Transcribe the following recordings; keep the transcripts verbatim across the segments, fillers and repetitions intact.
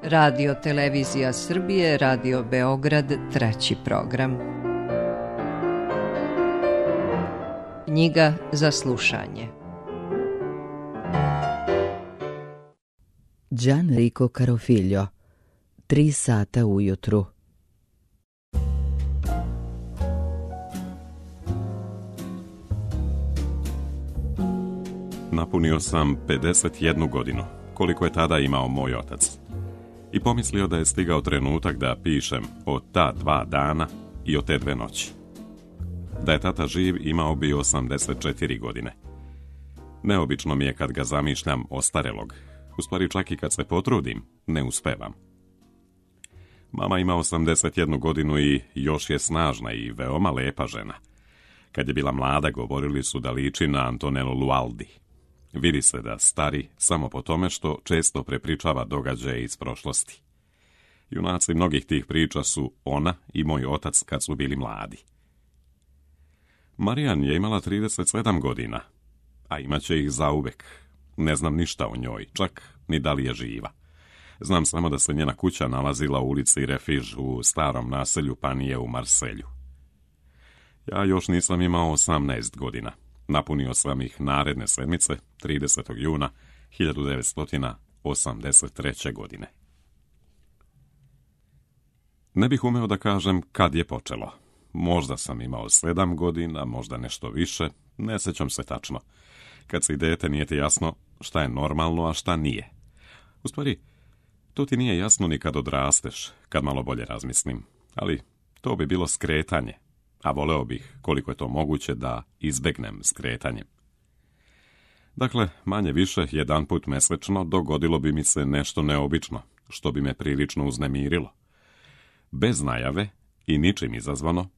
Radio Televizija Srbije, Radio Beograd, treći program. Knjiga za slušanje. Gianrico Carofiglio, Tri sata ujutru. Napunio sam pedeset jednu godinu, koliko je tada imao moj otac. I pomislio da je stigao trenutak da pišem o ta dva dana i o te dve noći. Da je tata živ, imao bi osamdeset četiri godine. Neobično mi je kad ga zamišljam ostarelog. U stvari čak i kad se potrudim, ne uspevam. Mama ima osamdeset jednu godinu i još je snažna i veoma lepa žena. Kad je bila mlada, govorili su da liči na Antonello Lualdi. Vidi se da stari samo po tome što često prepričava događaje iz prošlosti. Junaci mnogih tih priča su ona i moj otac kad su bili mladi. Marijan je imala trideset sedam godina, a imaće ih zauvek. Ne znam ništa o njoj, čak ni da li je živa. Znam samo da se njena kuća nalazila u ulici Refiž u starom naselju Panije u Marselju. Ja još nisam imao osamnaest godina. Napunio sam ih naredne sedmice, tridesetog juna hiljadu devetsto osamdeset treće. godine. Ne bih umeo da kažem kad je počelo. Možda sam imao sedam godina, možda nešto više, ne sećam se tačno. Kad si dete nije ti jasno šta je normalno, a šta nije. U stvari, to ti nije jasno ni kad odrasteš, kad malo bolje razmislim. Ali to bi bilo skretanje, a voleo bih, koliko je to moguće, da izbegnem skretanjem. Dakle, manje više, jedan put mesečno dogodilo bi mi se nešto neobično, što bi me prilično uznemirilo. Bez najave i ničim izazvano,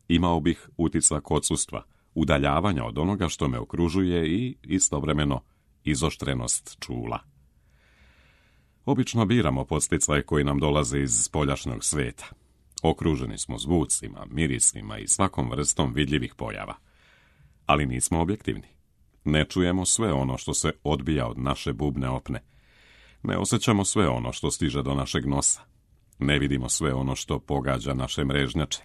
imao bih utisak odsustva, udaljavanja od onoga što me okružuje i istovremeno izoštrenost čula. Obično biramo podsticaje koji nam dolaze iz spoljašnjeg sveta. Okruženi smo zvucima, mirisima i svakom vrstom vidljivih pojava. Ali nismo objektivni. Ne čujemo sve ono što se odbija od naše bubne opne. Ne osjećamo sve ono što stiže do našeg nosa. Ne vidimo sve ono što pogađa naše mrežnjače.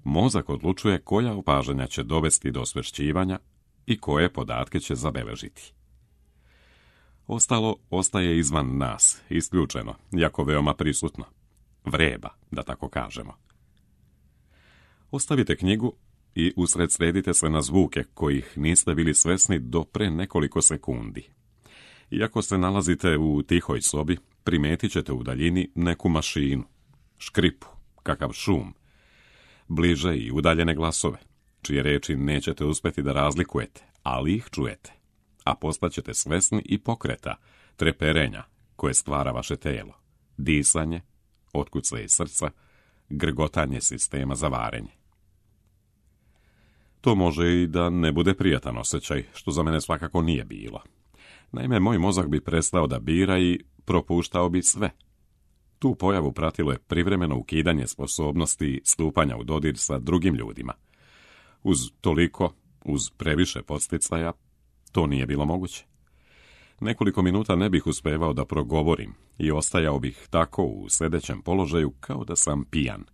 Mozak odlučuje koja opažanja će dovesti do osvešćivanja i koje podatke će zabeležiti. Ostalo ostaje izvan nas, isključeno, jako veoma prisutno. Vreba, da tako kažemo. Ostavite knjigu i usredsredite se na zvuke kojih niste bili svesni do pre nekoliko sekundi. Iako se nalazite u tihoj sobi, primetit ćete u daljini neku mašinu, škripu, kakav šum, bliže i udaljene glasove, čije reči nećete uspjeti da razlikujete, ali ih čujete, a postaćete svesni i pokreta, treperenja koje stvara vaše telo, disanje, otkucaje srca, grgotanje sistema za varenje. To može i da ne bude prijatan osjećaj, što za mene svakako nije bilo. Naime, moj mozak bi prestao da bira i propuštao bi sve. Tu pojavu pratilo je privremeno ukidanje sposobnosti stupanja u dodir sa drugim ljudima. Uz toliko, uz previše podsticaja, to nije bilo moguće. Nekoliko minuta ne bih uspevao da progovorim i ostajao bih tako u sedećem položaju kao da sam pijan.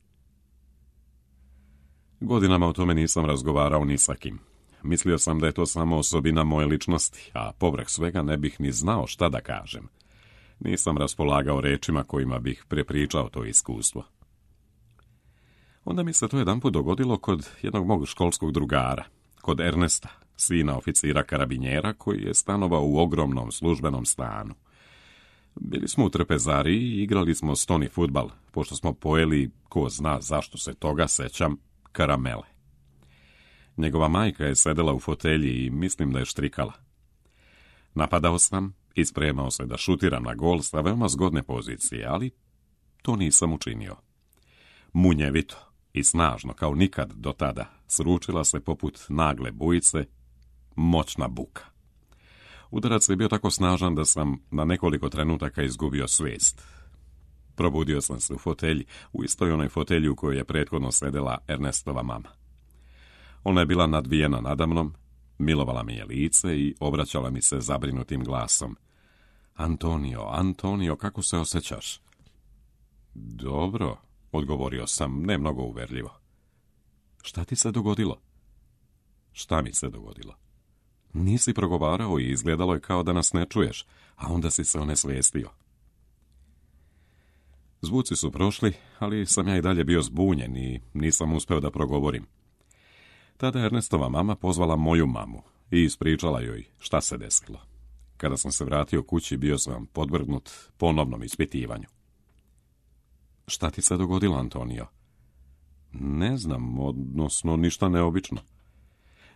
Godinama o tome nisam razgovarao ni sa kim. Mislio sam da je to samo osobina moje ličnosti, a povrh svega ne bih ni znao šta da kažem. Nisam raspolagao rečima kojima bih prepričao to iskustvo. Onda mi se to jedanput dogodilo kod jednog mog školskog drugara, kod Ernesta, sina oficira karabinjera koji je stanovao u ogromnom službenom stanu. Bili smo u trpezariji i igrali smo stoni fudbal, pošto smo pojeli, ko zna zašto se toga sećam, karamele. Njegova majka je sedela u fotelji i mislim da je štrikala. Napadao sam i spremao se da šutiram na gol sa veoma zgodne pozicije, ali to nisam učinio. Munjevito i snažno, kao nikad do tada, sručila se poput nagle bujice moćna buka. Udarac je bio tako snažan da sam na nekoliko trenutaka izgubio svijest. Probudio sam se u fotelji, u istoj onoj fotelji u kojoj je prethodno sedela Ernestova mama. Ona je bila nadvijena nadamnom, milovala mi je lice i obraćala mi se zabrinutim glasom. Antonio, Antonio, kako se osjećaš? Dobro, odgovorio sam, ne mnogo uverljivo. Šta ti se dogodilo? Šta mi se dogodilo? Nisi progovarao i izgledalo je kao da nas ne čuješ, a onda si se onesvijestio. Zvuci su prošli, ali sam ja i dalje bio zbunjen i nisam uspeo da progovorim. Tada je Ernestova mama pozvala moju mamu i ispričala joj šta se desilo. Kada sam se vratio kući, bio sam podvrgnut ponovnom ispitivanju. Šta ti se dogodilo, Antonio? Ne znam, odnosno ništa neobično.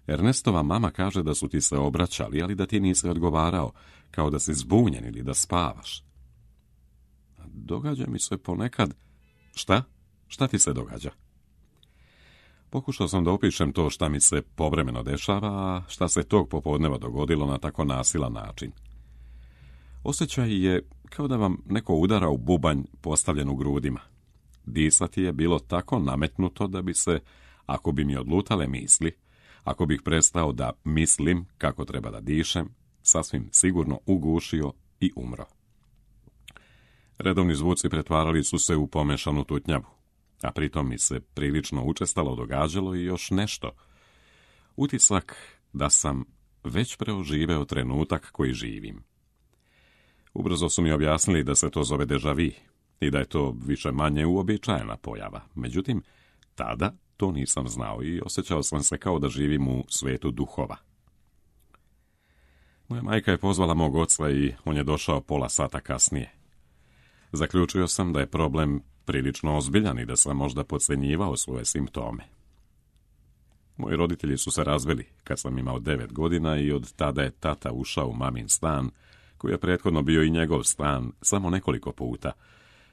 Ernestova mama kaže da su ti se obraćali, ali da ti nisi odgovarao, kao da si zbunjen ili da spavaš. Događa mi se ponekad... Šta? Šta ti se događa? Pokušao sam da opišem to šta mi se povremeno dešava, a šta se tog popodneva dogodilo na tako nasilan način. Osjećaj je kao da vam neko udara u bubanj postavljen u grudima. Disati je bilo tako nametnuto da bi se, ako bi mi odlutale misli, ako bih prestao da mislim kako treba da dišem, sasvim sigurno ugušio i umro. Redovni zvuci pretvarali su se u pomešanu tutnjavu, a pritom mi se prilično učestalo događalo i još nešto. Utisak da sam već preoživeo trenutak koji živim. Ubrzo su mi objasnili da se to zove déjà vu i da je to više manje uobičajena pojava. Međutim, tada to nisam znao i osjećao sam se kao da živim u svetu duhova. Moja majka je pozvala mog oca i on je došao pola sata kasnije. Zaključio sam da je problem prilično ozbiljan i da sam možda podcjenjivao svoje simptome. Moji roditelji su se razveli kad sam imao devet godina i od tada je tata ušao u mamin stan, koji je prethodno bio i njegov stan samo nekoliko puta,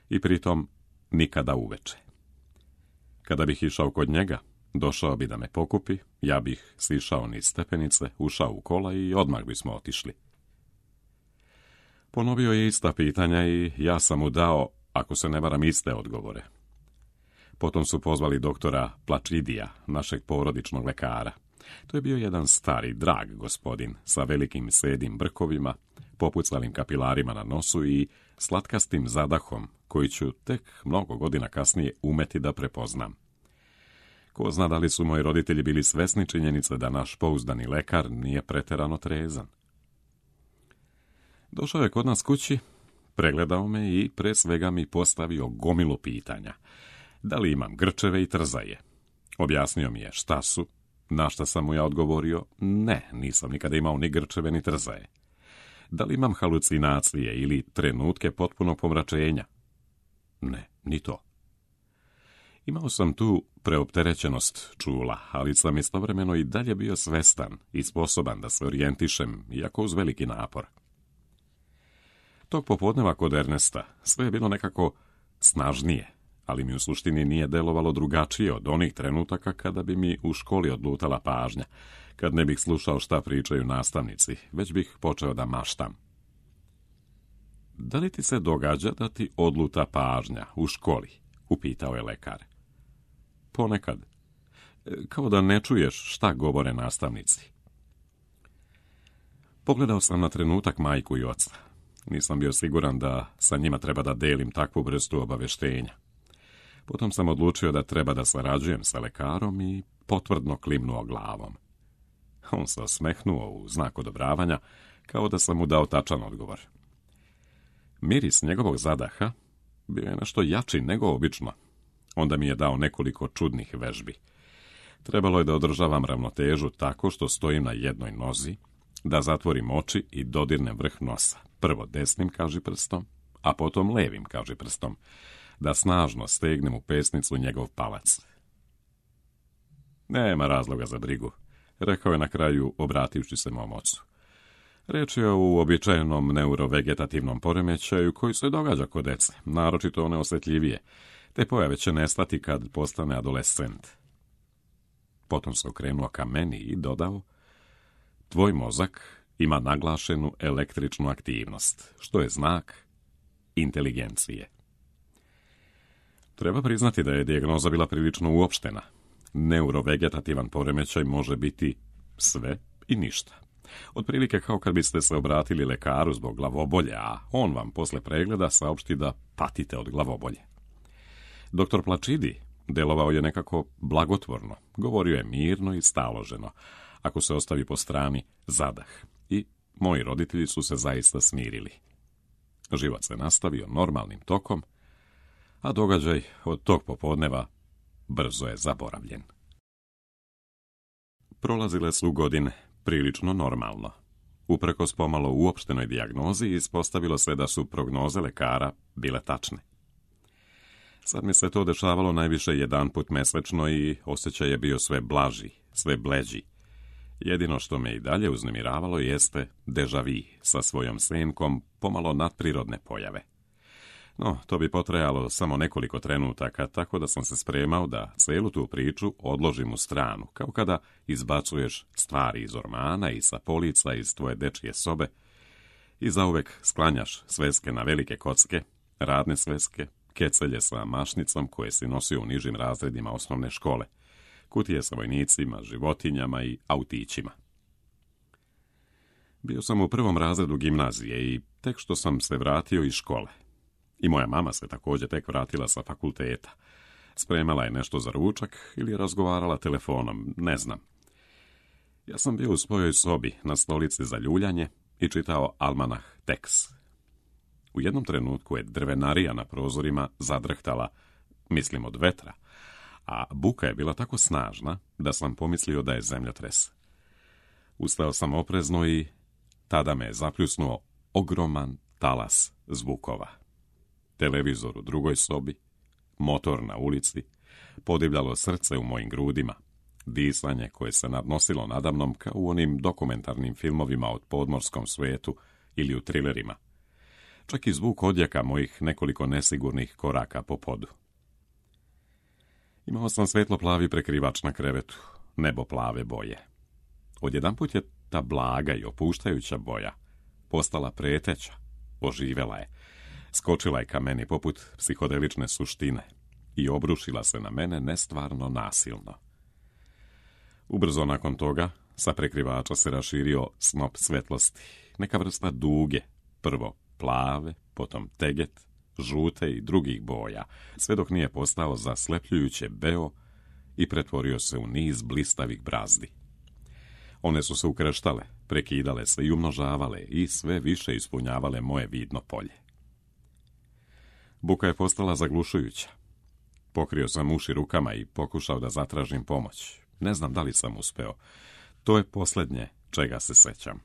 i pritom nikada uveče. Kada bih išao kod njega, došao bi da me pokupi, ja bih sišao niz stepenice, ušao u kola i odmah bismo otišli. Ponovio je ista pitanja i ja sam mu dao, ako se ne varam, iste odgovore. Potom su pozvali doktora Plačidija, našeg porodičnog lekara. To je bio jedan stari, drag gospodin sa velikim sedim brkovima, popucalim kapilarima na nosu i slatkastim zadahom, koji ću tek mnogo godina kasnije umeti da prepoznam. Ko zna da li su moji roditelji bili svesni činjenice da naš pouzdani lekar nije preterano trezan. Došao je kod nas kući, pregledao me i pre svega mi postavio gomilu pitanja. Da li imam grčeve i trzaje? Objasnio mi je šta su, na šta sam mu ja odgovorio, ne, nisam nikada imao ni grčeve ni trzaje. Da li imam halucinacije ili trenutke potpunog pomračenja? Ne, ni to. Imao sam tu preopterećenost čula, ali sam istovremeno i dalje bio svestan i sposoban da se orijentišem, iako uz veliki napor. Tog popodneva kod Ernesta sve je bilo nekako snažnije, ali mi u suštini nije delovalo drugačije od onih trenutaka kada bi mi u školi odlutala pažnja, kad ne bih slušao šta pričaju nastavnici, već bih počeo da maštam. Da li ti se događa da ti odluta pažnja u školi? Upitao je lekar. Ponekad. Kao da ne čuješ šta govore nastavnici. Pogledao sam na trenutak majku i oca. Nisam bio siguran da sa njima treba da delim takvu vrstu obaveštenja. Potom sam odlučio da treba da sarađujem sa lekarom i potvrdno klimnuo glavom. On se osmehnuo u znak odobravanja, kao da sam mu dao tačan odgovor. Miris njegovog zadaha bio je nešto jači nego obično. Onda mi je dao nekoliko čudnih vežbi. Trebalo je da održavam ravnotežu tako što stojim na jednoj nozi, da zatvorim oči i dodirnem vrh nosa. Prvo desnim kažiprstom, a potom levim kažiprstom, da snažno stegnem u pesnicu njegov palac. Nema razloga za brigu, rekao je na kraju, obrativši se mom ocu. Reč je o uobičajenom neurovegetativnom poremećaju koji se događa kod dece, naročito one osjetljivije, te pojave će nestati kad postane adolescent. Potom se okrenuo ka meni i dodao, tvoj mozak ima naglašenu električnu aktivnost, što je znak inteligencije. Treba priznati da je dijagnoza bila prilično uopštena. Neurovegetativan poremećaj može biti sve i ništa. Otprilike kao kad biste se obratili lekaru zbog glavobolje, a on vam posle pregleda saopšti da patite od glavobolje. Doktor Plačidi delovao je nekako blagotvorno, govorio je mirno i staloženo, ako se ostavi po strani zadah, i moji roditelji su se zaista smirili. Život se nastavio normalnim tokom, a događaj od tog popodneva brzo je zaboravljen. Prolazile su godine prilično normalno. Uprkos pomalo uopštenoj dijagnozi ispostavilo se da su prognoze lekara bile tačne. Sad mi se to dešavalo najviše jedanput mesečno i osjećaj je bio sve blaži, sve bleđi. Jedino što me i dalje uznemiravalo jeste deja vu sa svojom senkom pomalo nadprirodne pojave. No, to bi potrajalo samo nekoliko trenutaka, tako da sam se spremao da celu tu priču odložim u stranu, kao kada izbacuješ stvari iz ormana i sa polica iz tvoje dečje sobe i zauvek sklanjaš sveske na velike kocke, radne sveske, kecelje sa mašnicom koje si nosio u nižim razredima osnovne škole, kutije sa vojnicima, životinjama i autićima. Bio sam u prvom razredu gimnazije i tek što sam se vratio iz škole. I moja mama se također tek vratila sa fakulteta. Spremala je nešto za ručak ili je razgovarala telefonom, ne znam. Ja sam bio u svojoj sobi na stolici za ljuljanje i čitao almanah Tex. U jednom trenutku je drvenarija na prozorima zadrhtala, mislim od vetra, a buka je bila tako snažna da sam pomislio da je zemljotres. Ustao sam oprezno i tada me je zapljusnuo ogroman talas zvukova. Televizor u drugoj sobi, motor na ulici, podivljalo srce u mojim grudima, disanje koje se nadnosilo nadamnom kao u onim dokumentarnim filmovima od podmorskom svetu ili u trilerima. Čak i zvuk odjeka mojih nekoliko nesigurnih koraka po podu. Imao sam svetlo-plavi prekrivač na krevetu, nebo plave boje. Odjedanput je ta blaga i opuštajuća boja postala preteća, oživela je, skočila je ka meni poput psihodelične suštine i obrušila se na mene nestvarno nasilno. Ubrzo nakon toga sa prekrivača se raširio snop svetlosti, neka vrsta duge, prvo plave, potom teget, žute i drugih boja, sve dok nije postao zaslepljujuće beo i pretvorio se u niz blistavih brazdi. One su se ukreštale, prekidale se i umnožavale i sve više ispunjavale moje vidno polje. Buka je postala zaglušujuća. Pokrio sam uši rukama i pokušao da zatražim pomoć. Ne znam da li sam uspeo. To je posljednje čega se sećam.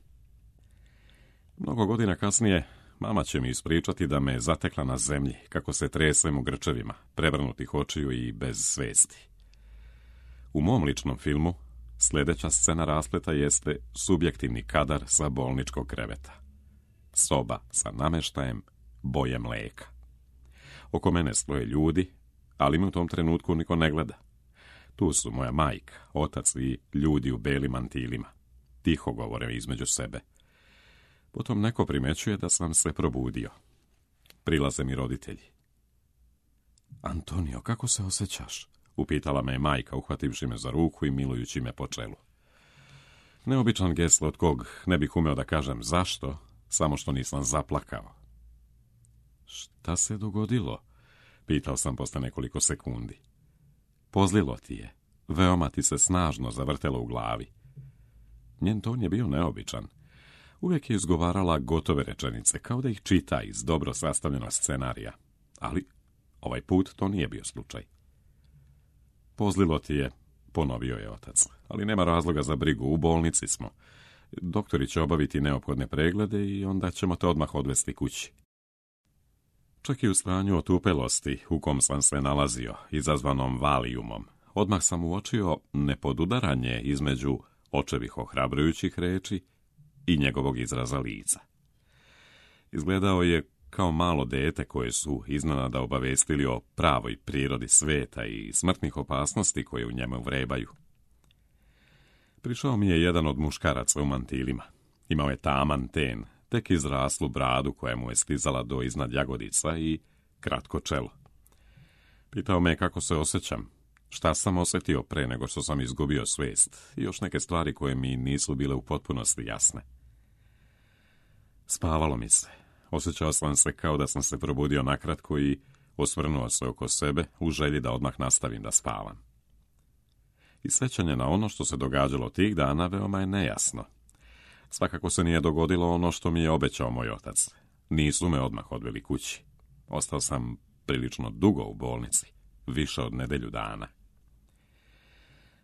Mnogo godina kasnije mama će mi ispričati da me je zatekla na zemlji, kako se tresem u grčevima, prevrnutih očiju i bez svesti. U mom ličnom filmu sljedeća scena raspleta jeste subjektivni kadar sa bolničkog kreveta. Soba sa nameštajem boje mleka. Oko mene stoje ljudi, ali mi u tom trenutku niko ne gleda. Tu su moja majka, otac i ljudi u belim mantilima. Tiho govore između sebe. Potom neko primećuje da sam se probudio. Prilaze mi roditelji. Antonio, kako se osjećaš? Upitala me je majka, uhvativši me za ruku i milujući me po čelu. Neobičan gest od kog ne bih umeo da kažem zašto, samo što nisam zaplakao. Šta se dogodilo? Pitao sam posle nekoliko sekundi. Pozlilo ti je. Veoma ti se snažno zavrtelo u glavi. Njen ton je bio neobičan. Uvijek je izgovarala gotove rečenice, kao da ih čita iz dobro sastavljenog scenarija. Ali ovaj put to nije bio slučaj. Pozlilo ti je, ponovio je otac, ali nema razloga za brigu, u bolnici smo. Doktori će obaviti neophodne preglede i onda ćemo te odmah odvesti kući. Čak i u stanju otupelosti u kom sam se nalazio, izazvanom valijumom, odmah sam uočio nepodudaranje između očevih ohrabrujućih reči i njegovog izraza lica. Izgledao je kao malo dete koje su iznenada obavestili o pravoj prirodi sveta i smrtnih opasnosti koje u njemu vrebaju. Prišao mi je jedan od muškaraca u mantilima. Imao je taman ten, tek izraslu bradu koja mu je stizala do iznad jagodica i kratko čelo. Pitao me kako se osjećam, Šta sam osjetio pre nego što sam izgubio svijest i još neke stvari koje mi nisu bile u potpunosti jasne. Spavalo mi se. Osjećao sam se kao da sam se probudio nakratko i osvrnuo se oko sebe u želji da odmah nastavim da spavam. I sjećanje na ono što se događalo tih dana veoma je nejasno. Svakako se nije dogodilo ono što mi je obećao moj otac. Nisu me odmah odveli kući. Ostao sam prilično dugo u bolnici, više od nedelju dana.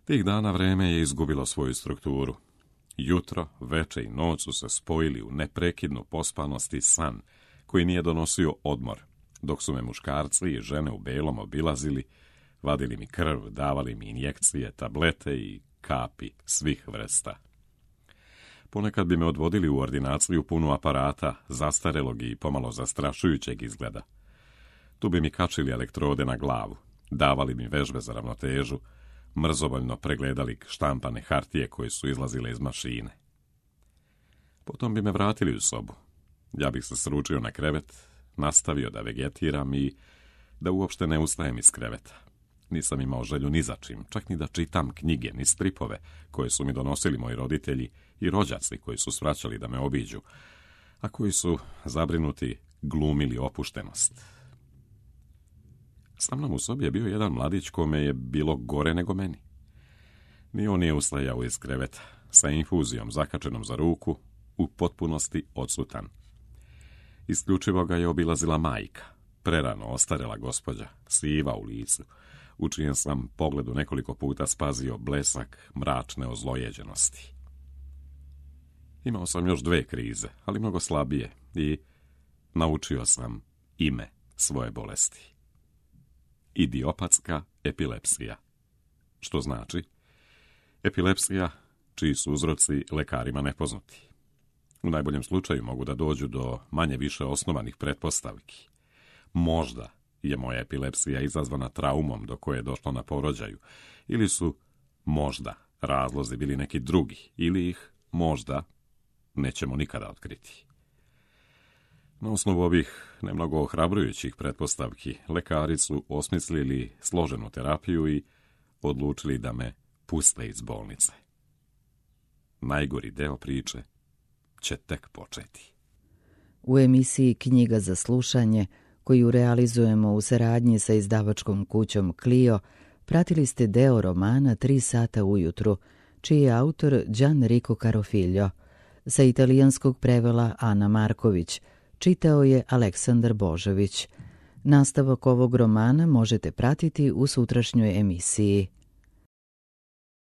Tih dana vreme je izgubilo svoju strukturu. Jutro, veče i noć su se spojili u neprekidnu pospanost i san, koji nije donosio odmor, dok su me muškarci i žene u belom obilazili, vadili mi krv, davali mi injekcije, tablete i kapi svih vrsta. Ponekad bi me odvodili u ordinaciju punu aparata, zastarelog i pomalo zastrašujućeg izgleda. Tu bi mi kačili elektrode na glavu, davali mi vežbe za ravnotežu, mrzovoljno pregledali štampane hartije koje su izlazile iz mašine. Potom bi me vratili u sobu. Ja bih se sručio na krevet, nastavio da vegetiram i da uopšte ne ustajem iz kreveta. Nisam imao želju ni za čim, čak ni da čitam knjige, ni stripove koje su mi donosili moji roditelji i rođaci koji su svraćali da me obiđu, a koji su, zabrinuti, glumili opuštenost. Sa mnom u sobi je bio jedan mladić kome je bilo gore nego meni. Ni on nije ustajao iz kreveta, sa infuzijom zakačenom za ruku, u potpunosti odsutan. Isključivo ga je obilazila majka, prerano ostarela gospođa, siva u licu, u čijem sam pogledu nekoliko puta spazio blesak mračne ozlojeđenosti. Imao sam još dve krize, ali mnogo slabije, i naučio sam ime svoje bolesti. Idiopatska epilepsija, što znači epilepsija čiji su uzroci lekarima nepoznati. U najboljem slučaju mogu da dođu do manje više osnovanih pretpostavki. Možda je moja epilepsija izazvana traumom do koje je došlo na porođaju, ili su možda razlozi bili neki drugi, ili ih možda nećemo nikada otkriti. Na osnovu ovih nemnogo ohrabrujućih pretpostavki, lekari su osmislili složenu terapiju i odlučili da me puste iz bolnice. Najgori deo priče će tek početi. U emisiji Knjiga za slušanje, koju realizujemo u saradnji sa izdavačkom kućom Clio, pratili ste deo romana Tri sata ujutru, čiji je autor Gianrico Carofiglio. Sa italijanskog prevela Ana Marković, čitao je Aleksandar Božović. Nastavak ovog romana možete pratiti u sutrašnjoj emisiji.